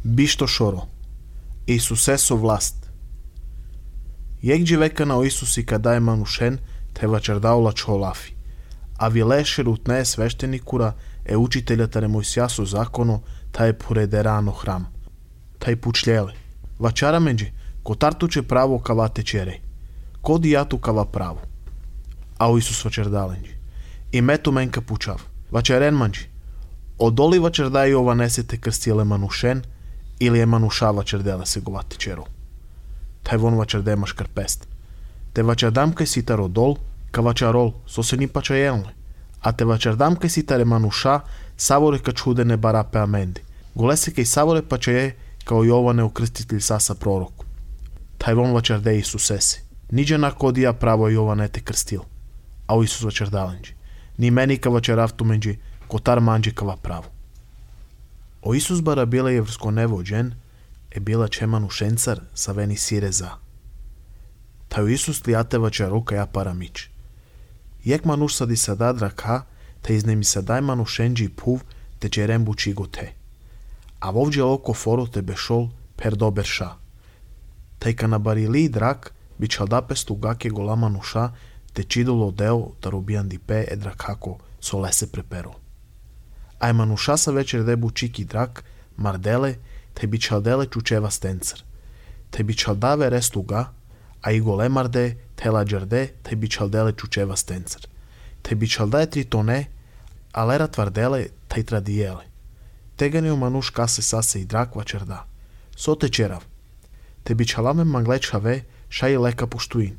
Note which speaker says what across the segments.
Speaker 1: Бишто шоро. Исусе со власт. Јегџи века на Исус и кадај манушен, те вачердаола чолафи. А вилешер от неј свештеникура е учителјата ре Мојсија со законо, та е поредерано храм. Та е пучлеле. Вачара меѓи, котартуче право кава течере. Коди јату кава право. А Исус вачердаленџи. И мето менка пучав. Вачерен манџи. Одоли вачердај ова несете крстиле манушен, или е мануша вачерделе се гова течеро. Тај вон вачердемаш крпест. Те вачердам кај ситар одол, ка вачарол, со се ни пачајелне. А те вачердам кај ситаре мануша, саворе ка чудене барапе аменди. Голесе кај саворе пачаје, као Јоване окрстител саса пророк. Тај вон вачерде Исусесе. Ниđe на кодија право Јоване те крстил. А Исус вачердаленџи. Ни мени ка вачеравту меđi, котар манџи кава право. O Isus bara bila je vrsko nevođen, e bila čemanu šencar sa veni sireza. Taju Isus lijateva čaruka ja paramić. Jek manuš sadi sadadra ka, te iznemi sadaj manu šenđi puv, te čerembu čigo te. A vovđe oko foro te bešol per dober ša. Taj ka nabarili drak, bi čaldapestu gake gola manuša, te čidolo deo da rubijan di pe edrak hako solese prepero. Aj manuša sa večer debu čiki drak, mardele, te bi čaldele čučeva stencar. Te bi čaldave restuga, a i gole marde, te lađarde, te bi čaldele čučeva stencar. Te bi čaldaje tritone, a lera tvardele, te tradijele. Teganio manuš kase sase i drak vačerda. So te čerav. Te bi čalame manglečave, ša i leka puštuin.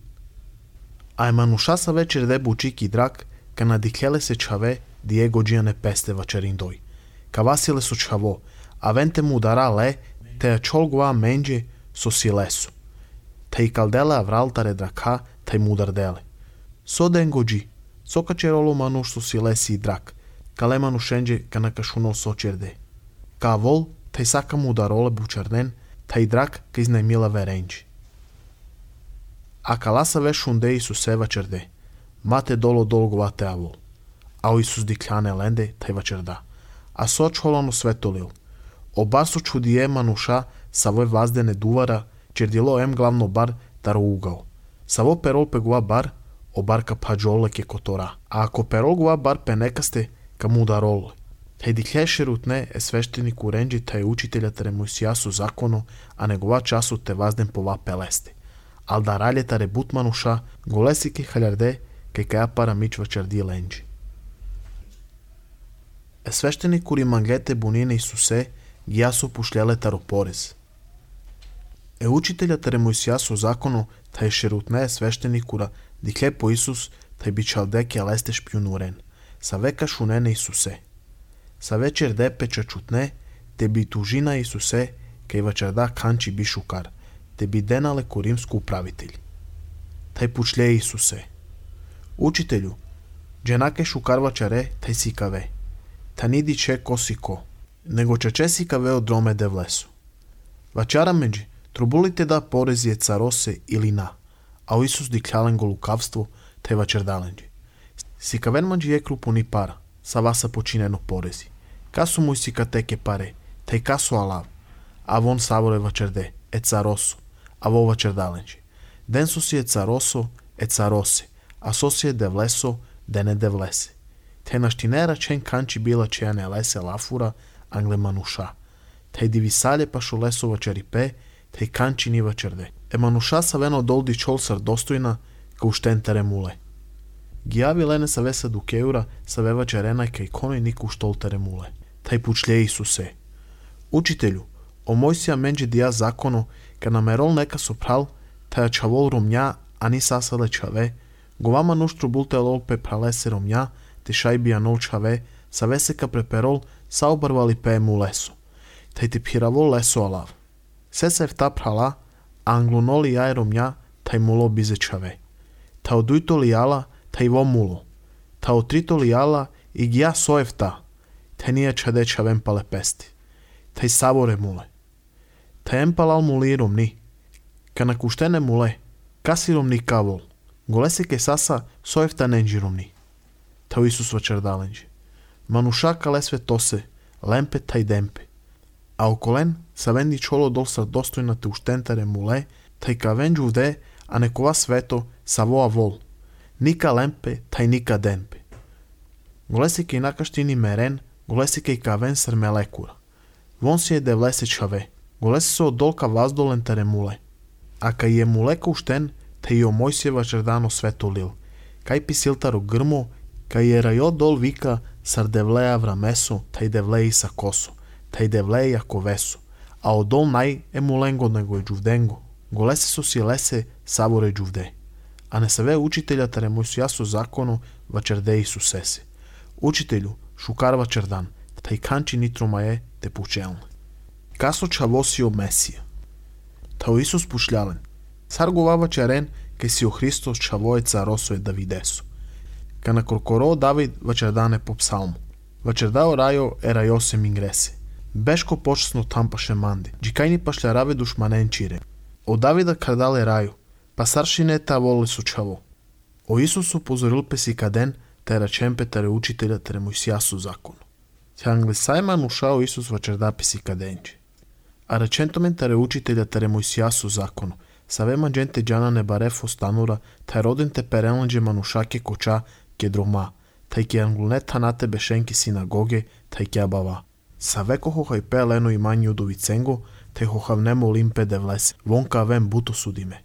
Speaker 1: Aj manuša sa večer debu čiki drak, ka nadiklele se čave, Diego džiane peste vačerindoj. Ka vasile su čavo, a vente mu dara le, te a čolgoa menđe so silesu. Te i kaldele avraltare draka, te mudar dele. So dengo dži, so ka čerolo manuš so silesi i drak, ka le manušenđe ka nakašuno so čerde. Ka vol, te saka mudarole bučarden, te i drak ka iznajmila verenđi. A ka lasa vešunde Isuse vačerde, mate dolo dolgovate avol. A o Isus dikljane lende, taj vačerda. A so čholano svetolil. Obar su čudije manuša, savoj vazdene duvara, čerdilo em glavno bar taro ugao. Savo perol pegua bar, obar ka pađole ke kotora. A ako perol gua bar penekaste, ka mudarole. Taj diklješe rutne e sveštenik urenđi taj učitelja tere Moјsија su zakono, a negova času te vazden pova peleste. Al da ralje tare but manuša, golesi ke haljarde, ke kaja para mič vačerdi lenđi. Свештеникури манглете бунine Исусе ги јасо пушлеле таро порез. Учителјата ре Мојсија со законо тај шерутне свештеникура дикле по Исус тај би чалдеке лесте шпјунурен. Са века шунене Исусе. Са вечер депе чачутне те би тужина Исусе кај вачерда канчи би шукар. Те би денале ко римско управителј. Тај пучле Исусе. Учителју, дженаке шукар вачаре тај си каве. Та ниди че косико, него чачеси каве од дроме де влесу. Вачара меđi, трубулите да порези е царосе или на, а Исус диклялен го лукавство, те вачердаленđi. Си кавен меđi е крупуни пара, са васа починено порези. Касу му си катеке паре, тај касу алав, а вон саворе вачерде, е царосо, а во вачердаленđi. Ден со си е царосо, е царосе, а со си е де влесо, дене де влесе. Те наштинера чен канчи била чеја не лесе лафура, англе мануша. Те дивисале пашо лесова черипе, те канчи нива черде. Е мануша са вено долди чол сар достојна, ка уштен теремуле. Гијави лене са веса дукеура, са вева черена кај коној нику штол теремуле. Тај пучле Исусе. Учителју, о Мојсија менđe дија законо, ка намерол нека сопрал, таја чавол ромња, а ни сасале чаве, говама нуштро булте лолпе пралесе ромња, te šajbija nolčave, sa veseka preperol, sa obarvali pemu leso. Taj te piravol leso alav. Se se vta prala, anglunoli jajeromja, taj mulo bizečave. Ta odujto li jala, taj vo mulo. Ta otrito li jala, i gija soevta, te nije čadeća vempale pesti. Taj savore mule. Taj empalal mulirom ni. Ka nakuštene mule, kasirom ni kavol. Golesike sasa, soevta nenđirom ni. Tao Isus vačerdalenđi. Manuša kale sve tose, lempe taj dempe. A okolen Савен дичоло дол са достојната уштентере муле, тај кавен джувде, а некова свето савоа вол. Ника лемпе, тај ника денпе. Голеси кај накаштини мерен, голеси кај кавен срмелекура. Вон си е девлесе чаве. Голеси се од долка ваздолен тере муле. А кај е мулека уштен, тај о Мојсиева чердано свето лил. Кај писилтаро грмо, кај е рајо дол вика сар девлеја врамесо, тај девлеј са косо, тај девлеј ако весо. А одол нај е муленго него е джувденго. Голеси со си лесе саборе джувде. А не саве учителја тере Мојсијасо законо вачерде Исусесе. Учителю, шукарва чердан, тај канчи нитрома е те пучелне. Касо чавосио Месија. Тао Исус пушлялен. Сар говава черен, кај си о Христос чавоеца росо е Давидесо. Ка на коркоро Давид вачердане по псалмо. Вачердао рајо е рајосе мингресе. Бешко почесно тампаше манди. Джикајни пашля раве душманен чире. О Давида кардале рајо, па саршине та воле со чаво. О Исус упозорил песи каден, те речемпе тере учителя тере Мојсијасо законо. Се англисајман ушао Исус вачерда песи каденче. А речентомен тере учителя тере Мојсијасо законо. Савема дженте джана не барефо станура, тај роден те переланđe манушаке коча ке дрома, тај ке англунет танате бешенки синагоге, тај ке абава. Савеко хохај пе лено имањи удовиценго, тај хохавнемо лимпе девлесе, вонка вен буто судиме.